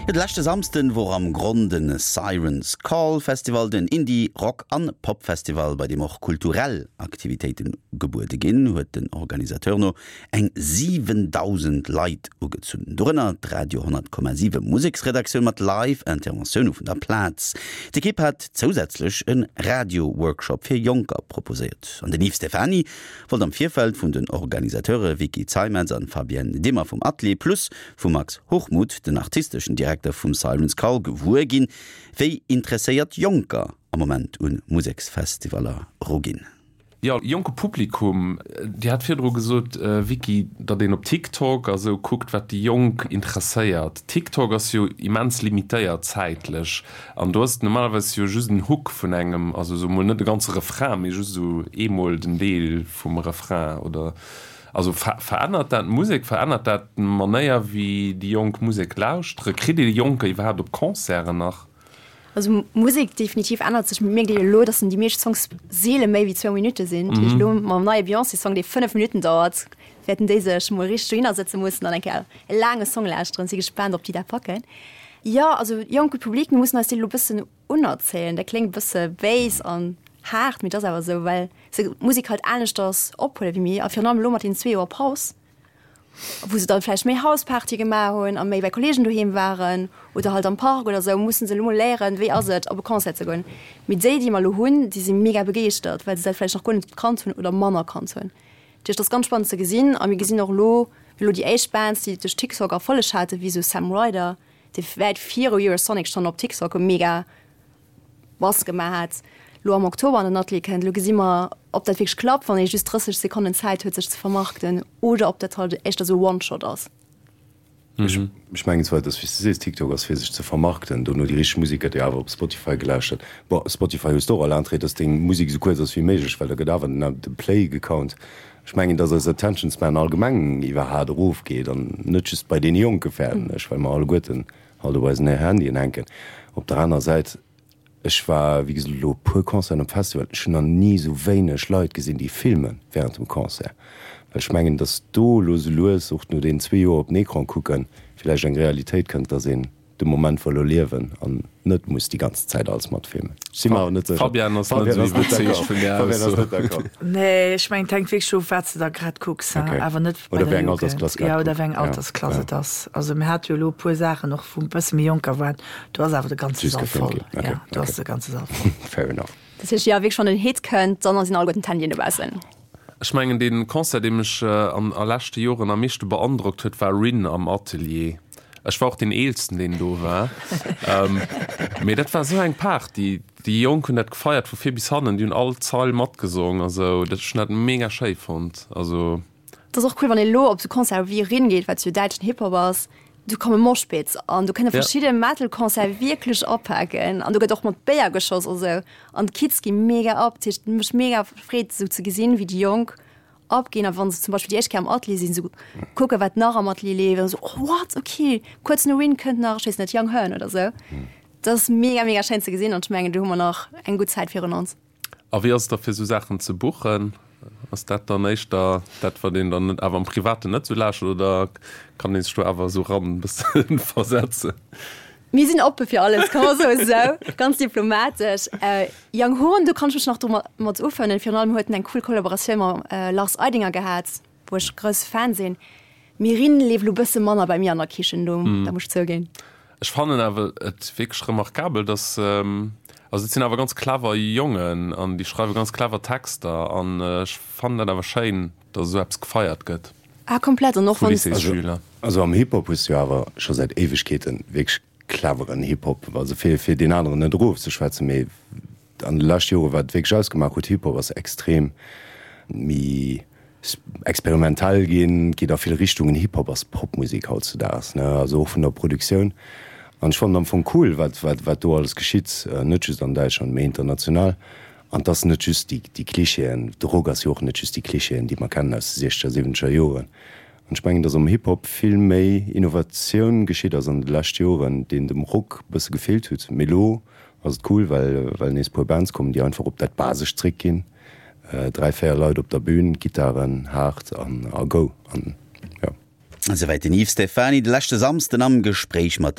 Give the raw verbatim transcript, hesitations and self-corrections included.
De leschte Samsden wor am Gronn de Siren's Call Festival, den Indie-, Rock an Pop-Festival, bei deem och kulturell Aktivitéite gebuede ginn, huet den Organisateur no eng siwendausend Leit ugezunn. Dorënner d'Radio honnert Komma siwe Museksredaktioun mat Live-Interventioune vun der Plaz. D'Ekipp hat zousätzlech e Radio-Workshop fir Jonker proposéiert. An den Yves Stephany wollt am Virfeld vun den Organisateure Vicky Zeimetz an Fabienne Dimmer vum Atelier Plus vum Max Hochmuth, den artisteschen Direkter vum Siren's Call, gewuer ginn, wéi interesséiert Jonker am Moment un Museksfestivaller eruginn. Jo, jonke Publikum. Dir hat virdru gesot, Vicky, datt een op TikTok a sou kuckt, wat déi Jonk interesséiert. TikTok ass jo immens limitéiert zäitlech an do ass et normalerweis jo just en Hook vun engem, also sou mol net de ganze Refrain, mee just esou eemol den Deel vum Refrain, oder? Also verännert dat d'Musek, verännert dat d'Manéier wéi déi Jonk Musek lauschtere? Kritt ee Jonker iwwerhaapt op Concerten nach? Also Musek definitiv ännert sech. Mierkt een elo, dass déi meescht Songs seele méi wéi zwou Minutte sinn. Dat heescht elo mam neie Beyoncé-Song, dee fënnef Minutten dauert, wäerten déi sech mol richteg dohinner sëtze mussen an eng Kéier e laange Song lauschteren. Si gespaant, ob déi dat packen. Jo, also jonke Public, mir mussen eis dee elo bëssen unerzéien. Dat kléngt e bësse béis an haart, mee et ass awer esou, well se d'Musek halt aneschters ophuele wéi mir. A virun allem elo mat deenen zwee Joer Paus, wou se dann vläicht méi Hauspartye gemaach hunn a méi bei Kolleegen doheem waren oder halt am Park oder esou, mussen se elo mol léieren, wéi ass et, op e Concert ze goen. Mee déi, déi mer elo hunn, déi si mega begeeschtert, well se dat vläicht nach guer net kannt hunn oder manner kannt hunn. Dat heescht, dat ass ganz spannend ze gesinn. A mir gesinn och elo, elo déi éischt Bands, déi duerch TikTok Erfolleg haten, wéi esou Sam Ryder, dee wäit viru Eurosonic schonn op TikTok e mega Bass gemaach hat, lo am Oktober an den Atelier kënnt. Lo gesi mer, ob dat wierklech klappt, wann ee just drësseg Sekonnen Zäit huet, sech ze vermarkten, oder ob dat halt éischter esou e One-Shot ass. Ech mengen zwar, dass, wéi s de sees, TikTok ass fir sech ze vermarkten, dono déi richteg Musek gëtt jo awer op Spotify gelauschtert. Bon, Spotify hues de och all Entrée, dass deng Musek esou kuerz ass wéi méiglech, well da gëtt awer den de Play gecount. Ech mengen, dass eis Attention Span allgemeng iwwerhaat erofgeet an net just bei deene Jonke fäerten ech, well mer alleguerten halt op eisen Handyen hänken. Op der anerer Säit, Ech war wéi gesot elo e puer Concerten op Festival, ech hunn nach ni esou wéineg Leit gesinn, déi filme während dem Concert. Well ech mengen, datt do elo esou lues, och no deenen zwee Joer op den Ecran kucken, villäicht eng Realitéit kënnt, datt een de Moment wëll erliewen an net muss déi ganz Zäit alles matfilmen. Ech si mer awer net sécher. Fabienne ass net esou iwwerzeegt vun där Fabienne ass Ausso. net d'accord. Nee, ech mengen, et hänkt wierklech of, wat s de da grad kucks, hein. Okay. Awer net bei Oder der wéi eng Jugend. Altersklass grad Ja, oder wéi kuckt. eng Ja, Altersklass ja. et ass. Also mir hate jo elo e puer Saachen och, wou e bësse méi Jonker waren, do ass awer de ganze Just Sall gefilmt voll. ginn. Okay, Ja, do okay. ass de ganze Sall voll. Fair enough. Dat heescht, jo, wierklech, wann en Hit kënnt, dann sinn alleguerten d'Handyen dobaussen. Ech mengen, dee Concert, dee mech an a leschte Joren am meeschte beandrockt huet, war Rin am Atelier. Ech war och deen Eelsten, deen do war. Mee dat war esou eng Party. Déi Jonk hunn dat gefeiert vu vir bis hannen. Déi hunn all Zeil matgesong a sou. Dat, ech hunn dat mega schéi fonnt. Also. Dat ass och cool, wann een elo op sou Concerte wéi Rin geet, wat jo däitschen Hip-Hop ass, do komme Moshpits an do kënne verschidde Metal-Concerte wierklech apaken an do gëtt och mat Béier geschoss a sou an d'Kids gi mega ab. Dat heescht, et mécht mega Freed, sou ze gesinn, wéi déi Jonk abginn a wann se zum Beispill déi éischt Kéier am Atelier sinn, sou kucke wat nach am Atelier leeft an sou, oh what, okay, kuerz no Rin kënnt nach, ech weess net, Young Hearn oder sou. Dat ass mega, mega schéin ze gesinn an ech mengen, do hu mer nach eng gutt Zäit virun ons. A wéi ass et da fir sou Saachen ze buchen? Ass dat dann éischter dat, wat een dann net awer am Privaten net sou lauschtert oder kann ee sech do awer esou ran bëssen versetzen? Mir sinn oppe fir alles, kann man soen, esou ganz diplomatesch. Young Horn, do kann ech mech nach domat ufrënnen. Virun allem huet en eng cool Kollaboratioun mam Lars Eidinger gehat, wou ech grousse Fan sinn. Mirin leeft elo bësse manner bei mir an der Kichen, do dat muss ech zouginn. Ech fannen awer et wierklech remarkabel, dass, also et sinn awer ganz clever Jongen an déi schreiwe ganz clever Texter an ech fannen dat awer schéin, dass esou eppes gefeiert gëtt. Ah komplett, an och vu wann. Lycéesschüler. Also am Hip-Hop hues du jo awer scho säit Éiwegkeeten wierklech cleveren Hip-Hop, also fir fir deen aneren net erofzeschwätzen, mee an de leschte Jore wat et wierklech ausgemaach huet, Hip-Hop ass extrem méi experimentell ginn, geet a vill Richtungen. Hip-Hop ass Popmusek hautzudaags, ne, also och vun der Produktioun. An ech fannen am Fong cool, wat wat wat do alles geschitt, net just an Däitschland, mee international. An 't ass net just déi déi Klischeeën, de Rock ass jo och net just déi Klischeeën, déi mer kennen aus de siechzeger, siwwenzeger Joren. An ech mengen, datt am Hip-Hop vill méi Innovatioun geschitt ass an de leschte Joren, deen dem Rock bësse gefeelt hutt. Mee elo ass et cool, well well nees puer Bands kommen, déi einfach op dat Basescht zréckginn, dräi, véier Leit op der Bühn, Gittaren, haart an a go. An jo. Esouwäit den Yves Stephany de leschte Samsden am Gespréich mat.